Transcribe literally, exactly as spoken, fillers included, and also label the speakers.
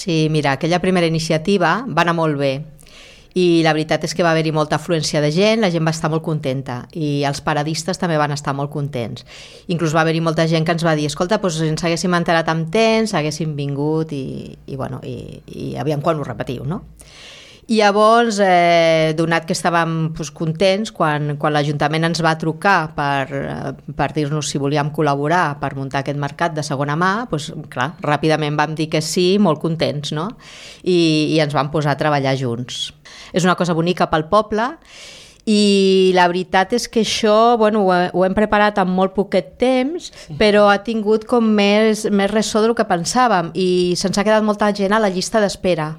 Speaker 1: Sí, mira, aquella primera iniciativa va anar molt bé i la veritat és que va haver-hi molta afluència de gent, la gent va estar molt contenta i els paradistes també van estar molt contents. Inclús va haver-hi molta gent que ens va dir escolta, doncs ens haguéssim enterat amb temps, haguéssim vingut i, i, bueno, i, i aviam quan ho repetiu, no? I llavors, eh, donat que estàvem doncs, contents, quan, quan l'Ajuntament ens va trucar per, per dir-nos si volíem col·laborar per muntar aquest mercat de segona mà, doncs, clar, ràpidament vam dir que sí, molt contents, no? I, i ens vam posar a treballar junts. És una cosa bonica pel poble i la veritat és que això bueno, ho, ho hem preparat en molt poquet temps, però ha tingut com més, més ressò del que pensàvem i se'ns ha quedat molta gent a la llista d'espera.